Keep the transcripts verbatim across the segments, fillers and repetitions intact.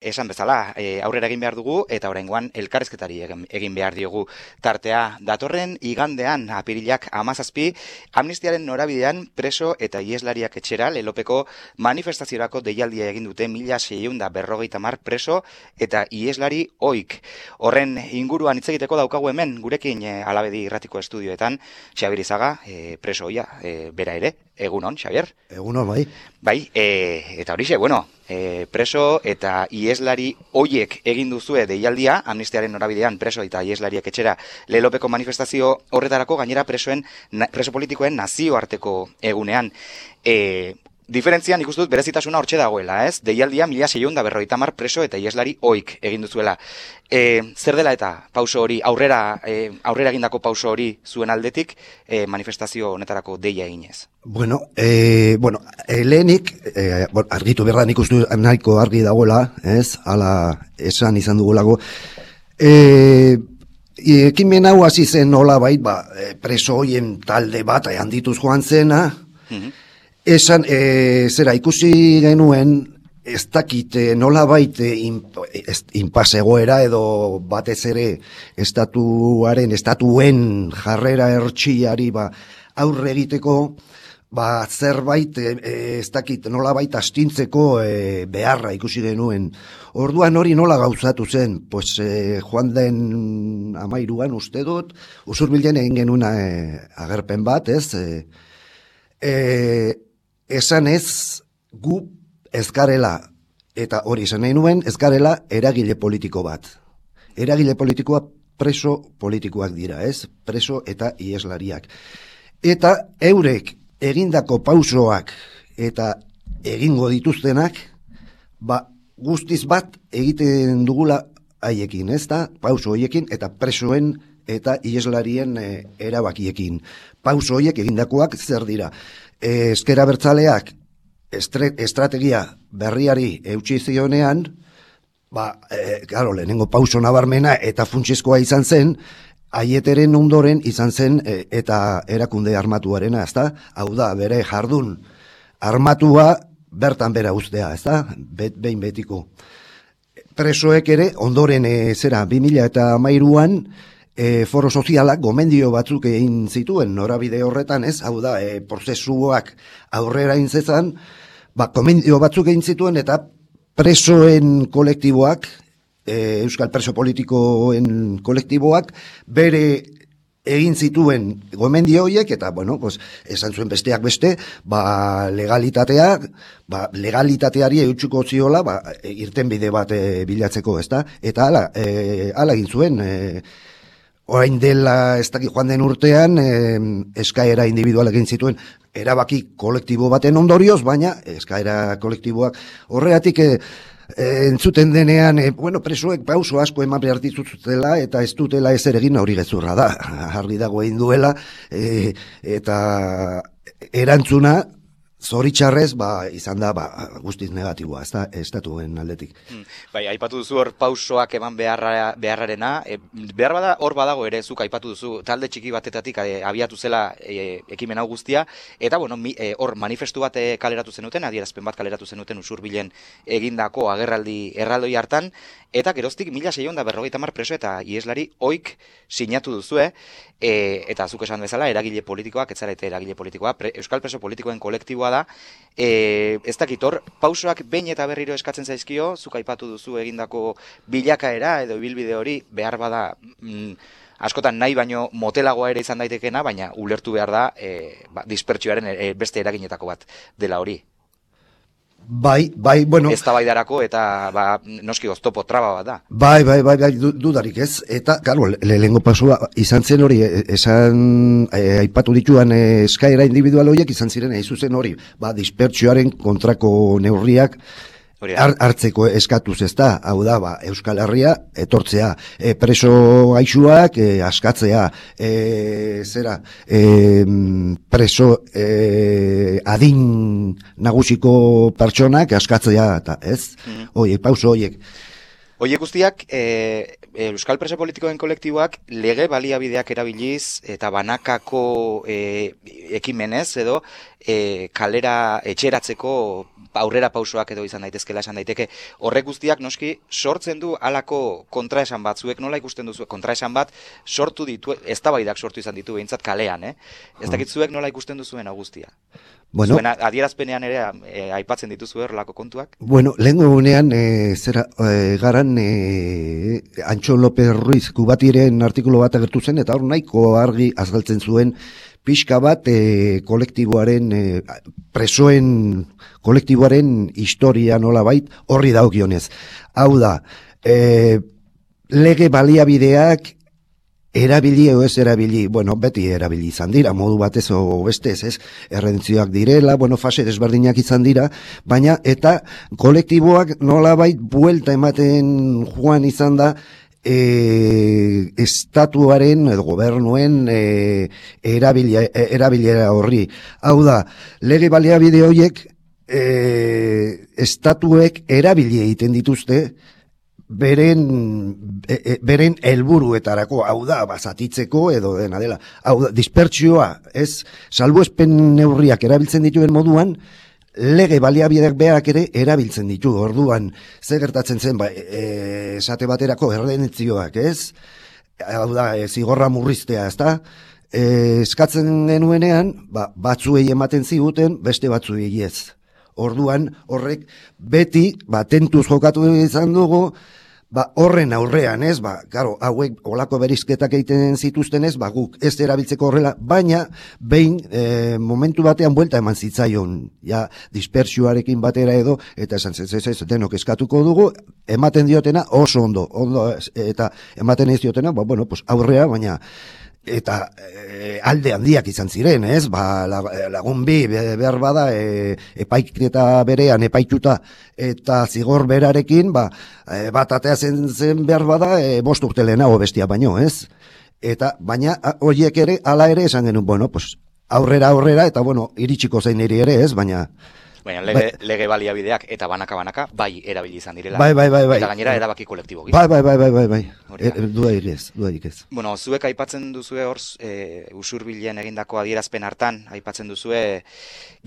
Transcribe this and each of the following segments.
esan bezala, e, aurrera egin behar dugu, eta oraingoan elkarrizketari egin, egin behar diogu tartea. Datorren igandean, apirilak hamazazpi, amnistiaren norabidean preso eta ieslariak etxera lelopeko manifestaziorako deialdia egin dute mila seiehun eta berrogeita hamar preso eta ieslari oik. Horren inguruan hitz egiteko daukagu hemen, gurekin e, Alabedi irratiko estudioetan, Xabier Izaga, e, preso oia, e, bera ere. Egunon, Xabier? Egunon, bai. Bai, e, eta horixe, bueno, e, preso eta ieslari oiek egin duzue deialdia, amnistiaren norabidean preso eta ieslariak etxera lelopeko manifestazio horretarako, gainera presoen, preso politikoen nazioarteko egunean. E, Diferentzian ikusten dut berezitasuna hortxe dagoela, ez? Deialdia mila seiehun eta berrogeita hamar preso eta ieslari oik egin duzuela. E, zer dela eta pauso hori, aurrera, e, aurrera egindako pauso hori zuen aldetik e, manifestazio honetarako deia eginez? Bueno, e, bueno e, lehenik, e, bon, argitu berda nik uste nahiko argi dagoela, ez? Hala esan izan dugulago. E, ekimen hau hasi zen nola bait, ba, preso hoien talde bat handituz joan zena, mm-hmm. Esan, e, zera, ikusi genuen, ez dakit nola baite inpasegoera edo batez ere estatuaren, estatuen jarrera ertsiari ba, aurre egiteko, ba, zerbait, e, ez dakit nola baita astintzeko e, beharra ikusi genuen. Orduan hori nola gauzatu zen, pues, e, joan den amairuan uste dut, Usurbilen egin genuen e, agerpen bat, ez, e, e, esan ez gu ezkarela, eta hori esan nahi nuen, ezkarela eragile politiko bat. Eragile politikoa preso politikoak dira, ez? Preso eta ieslariak. Eta eurek egindako pausoak eta egingo dituztenak, ba, guztiz bat egiten dugula haiekin, ez da? Pauso hoiekin eta presoen eta ieslarien e, erabakiekin. Pauso hoiek egindakoak zer dira? Ezker Abertzaleak estrategia berriari eutsi zionean, ba, e, claro, lehenengo pauso nabarmena eta funtsezkoa izan zen, Aieteren ondoren izan zen e, eta erakunde armatuarena, ezta? Hau da, bere jardun armatua bertan bera uztea, ezta? Bet, behin betiko. Presoek ere ondoren e, zera bi mila hamairuan E, foro sozialak gomendio batzuk egin zituen norabide horretan, ez? Hau da, e, prozesuak aurrera intzezan, ba, gomendio batzuk egin zituen eta presoen kolektiboak, e, Euskal Preso Politikoen kolektiboak, bere egin zituen gomendio horiek, eta, bueno, pues, esan zuen besteak beste, ba, legalitateak, ba, legalitateari eutxuko ziola, ba, irtenbide bat e, bilatzeko, ezta? Eta hala, e, hala egin zuen, e, orain dela ez dakit joan den urtean eh, eskaera individualak egin zituen erabaki kolektibo baten ondorioz, baina eskaera kolektiboak horregatik eh, entzuten denean, eh, bueno, presoek pauso asko eman behar dituzutela eta ez dutela ezer egin hori gezurra da, argi dago egin duela eh, eta erantzuna zoritxarrez, ba, izan da, ba, guztiz negatiboa, ez da, estatuen aldetik. Hmm. Bai, aipatu duzu hor pausoak eman beharra, beharrarena, e, behar bada hor badago ere, zuk aipatu duzu, talde txiki batetatik e, abiatu zela e, ekimen hau guztia, eta, bueno, mi, e, hor manifestu bat e, kaleratu zenuten, adierazpen bat kaleratu zenuten Usurbilen egindako agerraldi erraldoi hartan, eta geroztik mila seiehun eta berrogeita hamar preso eta ieslari oik sinatu duzue, e, eta zuk esan bezala, eragile politikoak, etzarete eragile politikoa, pre, Euskal Preso Politikoen kolektiboa da, e, ez dakit hor, pausoak behin eta berriro eskatzen zaizkio, zuk aipatu duzu egindako bilakaera edo ibilbide hori behar bada mm, askotan nahi baino motelagoa ere izan daitekena, baina ulertu behar da e, ba, dispertsioaren e, beste eraginetako bat dela hori. Bai, bai, bueno. Ez tabaidarako eta ba, noski oztopo traba bat da. Bai, bai, bai, bai dudarik ez. Eta, claro, lehengo pasua izan zen hori, esan e, aipatu dituan e, eskaera individual horiek izan ziren, eizu zen hori, ba, dispertsioaren kontrako neurriak hartzeko eskatuz, ez da, hau da, ba, Euskal Herria etortzea, e, preso gaixuak e, askatzea, e, zera, e, preso e, adin nagusiko pertsonak askatzea, eta ez, mm. Oiek, pauso oiek. Oiek guztiak, e, Euskal Preso Politikoen kolektiboak lege baliabideak erabiliz eta banakako e, ekimenez edo e, kalera etxeratzeko aurrera pausoak edo izan daitezkela esan daiteke. Horrek guztiak noski sortzen du halako kontraesan batzuek, nola ikusten duzu kontraesan bat sortu ditu, eztabaidak sortu izan ditu behintzat kalean, eh? Ez dakit zuek nola ikusten duzuen hau guztia. Bueno, zuen adierazpenean ere e, aipatzen dituzu horrelako kontuak? Bueno, lehen egunean e, zera e, garan e, Antxo López Ruiz Kubatiren artikulu bat agertu zen, eta hor nahiko argi azaltzen zuen pixka bat e, kolektiboaren, e, presoen kolektiboaren historia nolabait horri daukionez. Hau da, e, lege baliabideak erabili edo ez erabili, bueno, beti erabili izan dira, modu batez o bestez, ez, errentzioak direla, bueno, fase desberdinak izan dira, baina eta kolektiboak nolabait buelta ematen joan izan da, E, estatuaren edo gobernuen e, erabilia, erabilera horri. Hau da, lege baliabide horiek e, estatuek erabili egiten dituzte beren e, e, beren helburuetarako, hau da, bazatitzeko edo dena dela. Hau da, dispertsioa, ez, salbuespen neurriak erabiltzen dituen moduan, lege baliabideak berak ere erabiltzen ditu. Orduan, ze gertatzen zen, ba, e, esate baterako erredentzioak, ez? Hau da, e, zigorra murriztea, ez da? E, eskatzen genuenean, ba, batzuei ematen ziguten, beste batzuei ez. Orduan, horrek beti, ba, tentuz jokatu izan dugu, ba, horren aurrean, ez, ba, karo, hauek olako berizketak egiten zituzten ez, ba, guk ez erabiltzeko horrela, baina behin e, momentu batean buelta eman zitzaion, ja, dispersioarekin batera edo, eta esan, ez, ez, ez, denok eskatuko dugu, ematen diotena oso ondo, ondo, eta ematen ez diotena, ba, bueno, pues, aurrea, baina, eta e, alde handiak izan ziren, ez? Ba, lagun bi behar bada e, epaiketa berean epaituta eta zigor berarekin, ba, e, bat atea zen, zen behar bada e, bost urte lehenago bestia baino, ez? Eta baina horiek ere hala ere esan genuen, bueno, pues aurrera aurrera eta bueno, iritsiko zein ere ere, ez? Baina Baina lege, bai, lege baliabideak eta banaka-banaka bai erabili izan direla. Bai, bai, bai, bai. Eta gainera erabaki kolektibo. Bai, bai, bai, bai, bai, bai. E, dudarik ez, dudarik ez. Bueno, zuek aipatzen duzue hor, e, usurbilen egindako adierazpen hartan, aipatzen duzue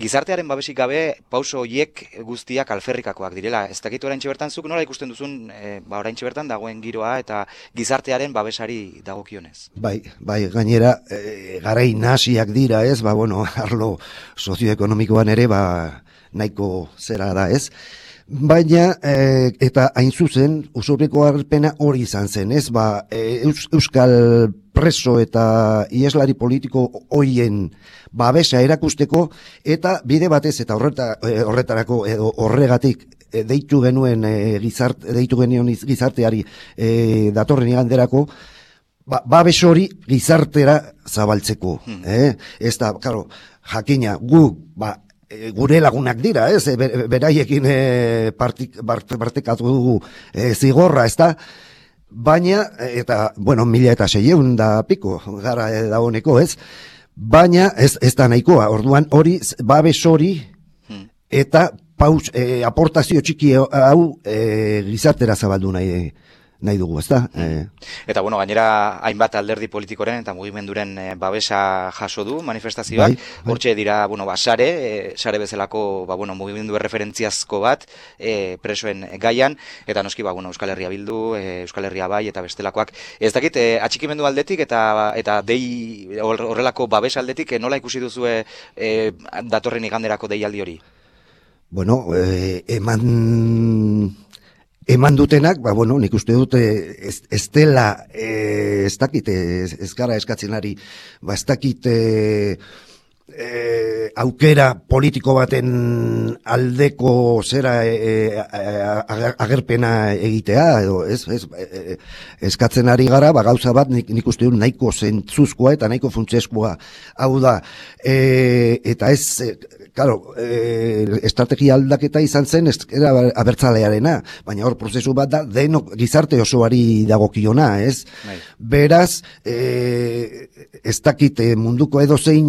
gizartearen babesik gabe pauso horiek guztiak alferrikakoak direla. Ez dakit oraintxe bertan zuk nola ikusten duzun, e, ba oraintxe bertan dagoen giroa eta gizartearen babesari dagokionez. Bai, bai, gainera e, garai nahasiak dira, ez? Ba, bueno, arlo sozioekonomikoan ere, ba, nahiko zera da, ez? Baina, e, eta hain zuzen, usurbriko harpena hori izan zen, ez? Ba, e, Eus, Euskal preso eta ieslari politiko hoien babesa erakusteko, eta bide batez, eta horreta, e, horretarako, edo horregatik, e, deitu genuen e, gizart, deitu genuen gizarteari e, datorren iganderako, ba, babes hori gizartera zabaltzeko, hmm. eh? Ez da, karo, jakina, gu, ba, gure lagunak dira, ez, beraiekin e, partik, partekatu dugu e, zigorra, ez da, baina, eta, bueno, mila eta seieun da piko, gara e, da honeko, ez, baina ez, ez da nahikoa, orduan hori, babes hori, eta paus, e, aportazio txiki hau e, gizartera zabaldu nahi, nahi dugu, ez da? E... Eta, bueno, gainera, hainbat alderdi politikoren eta mugimenduren e, babesa jaso du manifestazioak. Bai, bai. Hortxe dira, bueno, ba, sare, e, sare bezalako, ba, bueno, mugimendu referentziazko bat, e, presoen gaian, eta noski, ba, bueno, Euskal Herria Bildu, e, Euskal Herria Bai, eta bestelakoak. Ez dakit, e, atxikimendu aldetik, eta eta dei horrelako babes aldetik, e, nola ikusi duzue e, datorren iganderako deialdi hori? Bueno, e, eman... Eman dutenak, ba, bueno, nik uste dute ez, ez dela, e, ez dakit, ez, ez gara eskatzen ari, ba, ez dakit e, e, aukera politiko baten aldeko zera e, agerpena egitea, edo ez, ez, e, eskatzen ari gara, ba, gauza bat nik, nik uste dut nahiko zentzuzkoa eta nahiko funtseskoa, hau da, e, eta ez, e, Claro, eh, estrategia aldaketa izan zen ez era abertzalearena, baina hor prozesu bat da denok gizarte osoari dagokiona, ez? Bai. Beraz, eh, ez dakit munduko edozein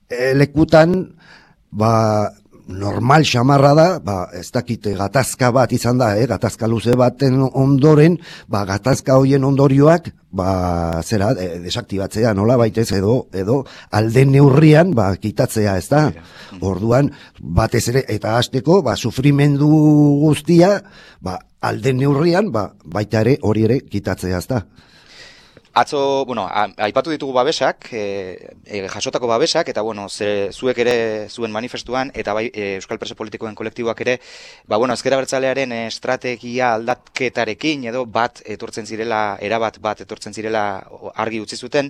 eh, lekutan, ba, normal xamarra da, ba, ez dakite gatazka bat izan da, eh, gatazka luze baten ondoren, ba, gatazka hoien ondorioak, ba, zera, e, desaktibatzea, nola baitez, edo, edo, alden neurrian, ba, kitatzea, ez da. Orduan, batez ere, eta hasteko, ba, sufrimendu guztia, ba, alden neurrian, ba, baita ere, hori ere, kitatzea, ez da. Atzo, bueno, aipatu ditugu babesak, e, e, jasotako babesak, eta bueno, ze, zuek ere zuen manifestuan, eta bai e, Euskal Preso Politikoen kolektiboak ere, ba bueno, ezker abertzalearen estrategia aldatketarekin, edo bat etortzen zirela, erabat bat etortzen zirela argi utzi zuten.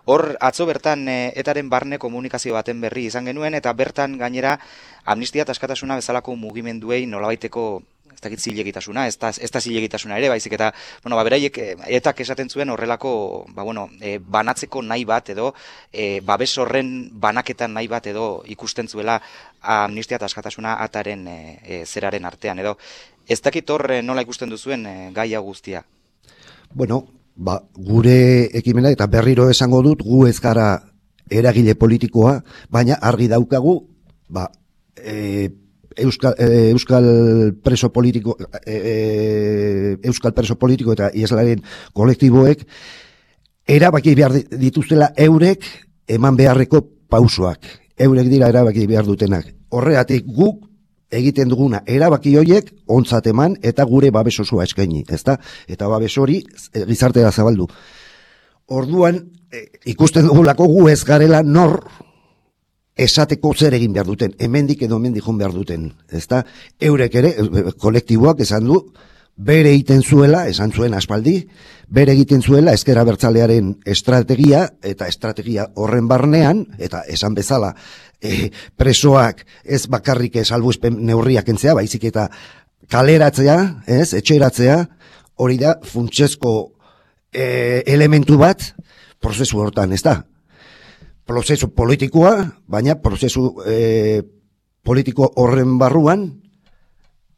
Hor, atzo bertan e, etaren barne komunikazio baten berri izan genuen, eta bertan gainera amnistia eta askatasuna bezalako mugimenduei nolabaiteko ez dakit zilegitasuna, ez da, ez da zilegitasuna ere, baizik eta, bueno, ba, beraiek, etak esaten zuen horrelako, ba, bueno, e, banatzeko nahi bat edo, e, babes horren banaketan nahi bat edo ikusten zuela amnistia eta askatasuna ataren e, e, zeraren artean, edo, ez dakit hor nola ikusten duzuen e, gaia guztia? Bueno, ba, gure ekimena, eta berriro esango dut, gu ez gara eragile politikoa, baina argi daukagu, ba, e, Euskal, eh, Euskal preso politiko eh, Euskal preso politiko eta ieslaren kolektiboek erabaki behar dituztela eurek eman beharreko pausoak. Eurek dira erabaki behar dutenak. Horregatik guk egiten duguna erabaki horiek ontzat eman eta gure babes osoa eskaini, ezta? Eta babes hori gizartera zabaldu. Orduan eh, ikusten dugulako gu ez garela nor esateko zer egin behar duten, hemendik edo hemendik joan behar duten, ezta? Eurek ere, kolektiboak esan du, bere egiten zuela, esan zuen aspaldi, bere egiten zuela ezker abertzalearen estrategia, eta estrategia horren barnean, eta esan bezala, e, presoak ez bakarrik salbuespen neurriak entzea, baizik eta kaleratzea, ez, etxeratzea, hori da funtsezko e, elementu bat, prozesu hortan, ez da? Prozesu politikoa, baina prozesu e, politiko horren barruan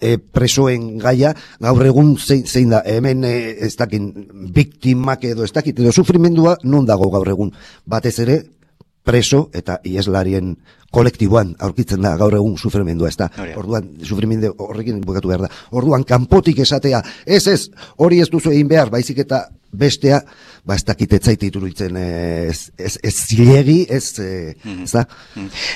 e, presoen gaia gaur egun zein, zein da, hemen e, ez dakin biktimak edo ez dakit, edo sufrimendua non dago gaur egun, batez ere preso eta ieslarien kolektiboan aurkitzen da gaur egun sufrimendua, ez da. Orduan, sufrimendu horrekin bukatu behar da. Orduan, kanpotik esatea, ez ez, hori ez duzu egin behar, baizik eta bestea, ba ez dakit etzaite iruditzen ez, ez, ez zilegi, ez, ez da.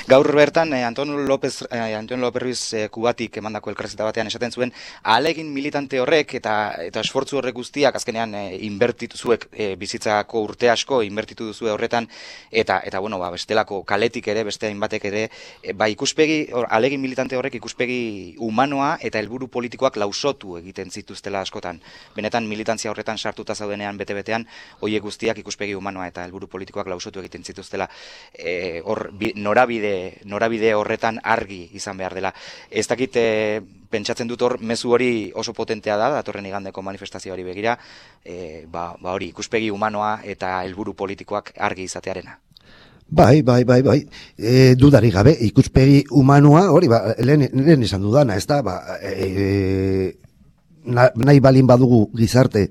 Gaur bertan, eh, Antonio López, eh, Antonio López Ruiz eh, Kubatik emandako elkarrizketa batean esaten zuen, ahalegin militante horrek eta eta esfortzu horrek guztiak azkenean eh, inbertitu zuek eh, bizitzako urte asko inbertitu duzue horretan, eta eta bueno, ba, bestelako kaletik ere, beste hainbatek ere, eh, ba ikuspegi, ahalegin militante horrek ikuspegi humanoa eta helburu politikoak lausotu egiten zituztela askotan. Benetan militantzia horretan sartuta zaudenean bete-betean, hoiek guztiak ikuspegi humanoa eta helburu politikoak lausotu egiten zituztela, e, hor, bi, norabide, norabide horretan argi izan behar dela. Ez dakit, e, pentsatzen dut hor, mezu hori oso potentea da, datorren igandeko manifestazioari begira, e, ba, ba hori, ikuspegi humanoa eta helburu politikoak argi izatearena. Bai, bai, bai, bai, e, dudarik gabe, ikuspegi humanoa, hori, ba, lehen, lehen esan dudana, ez da, ba, e, nahi balin badugu gizarte,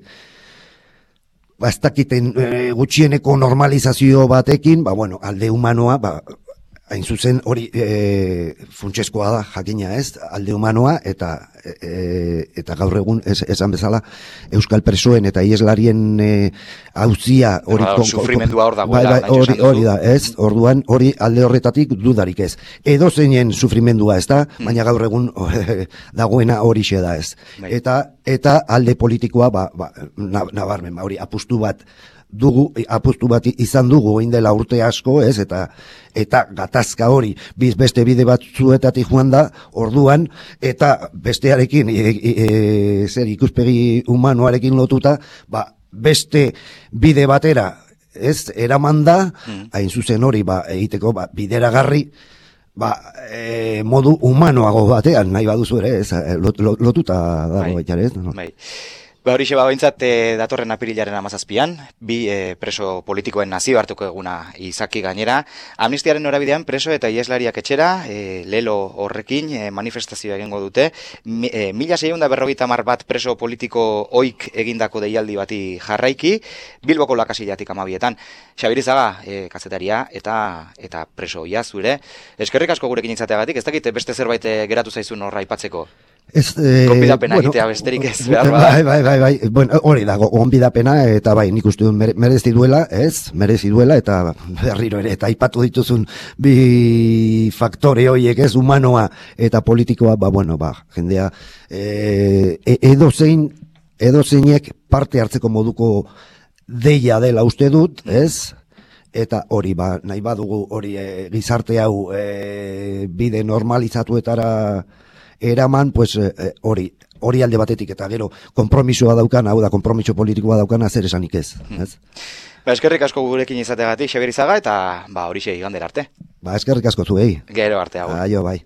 ba, ez dakiten e, gutxieneko normalizazio batekin, ba, bueno, alde humanoa, ba, hain zuzen hori e, funtsezkoa da, jakina ez, alde humanoa, eta e, eta gaur egun ez, esan bezala Euskal presoen eta ieslarien e, auzia hori ba, sufrimendua hor dago, bai, bai, hori, hori da, ez, orduan hori alde horretatik dudarik ez. Edo zeinen sufrimendua ez da, hmm. baina gaur egun dagoena hori xe da ez. Bai. Eta eta alde politikoa, ba, ba, nabarmen, ba, hori apustu bat dugu, apustu bat izan dugu egin dela urte asko, ez, eta eta gatazka hori biz beste bide batzuetatik joan da, orduan, eta bestearekin e, e, e, zer ikuspegi humanoarekin lotuta, ba, beste bide batera, ez, eraman da, mm. hain zuzen hori, ba, egiteko, ba, bideragarri, ba, e, modu humanoago batean, nahi baduzu ere, ez, lot, lot, lotuta dago baita, ez? No? Bai. Ba horixe ba behintzat e, datorren apirilaren hamazazpian, bi e, preso politikoen nazioarteko eguna izaki gainera. Amnistiaren norabidean preso eta ieslariak etxera, e, lelo horrekin e, manifestazioa egingo dute. Mi, e, mila seiehun eta berrogeita hamar bat preso politiko oik egindako deialdi bati jarraiki, Bilboko Lakasillatik amabietan. Xabirizaga, e, kazetaria eta eta preso ia zure. Eskerrik asko gurekin izateagatik, ez dakit beste zerbait geratu zaizun horra aipatzeko. Ez, eh, Gonbidapena bueno, egitea besterik ez behar bada. Bai, bai, bai, bai. Bueno, hori dago, gonbidapena eta bai, nik uste dut mere, merezi duela, ez? Merezi duela eta berriro ere, eta aipatu dituzun bi faktore horiek, ez? Humanoa eta politikoa, ba, bueno, ba, jendea, eh, edo zein, edo zeinek parte hartzeko moduko deia dela uste dut, ez? Eta hori, ba, nahi badugu hori e, gizarte hau e, bide normalizatuetara eraman, pues hori, e, hori alde batetik eta gero konpromisoa daukan, hau da konpromiso politikoa daukan, zer esanik ez, ez? Ba, eskerrik asko gurekin izateagatik, Xabirizaga, eta ba, horixe igandera arte. Ba, eskerrik asko zuei. Gero arte hau. Aio, bai.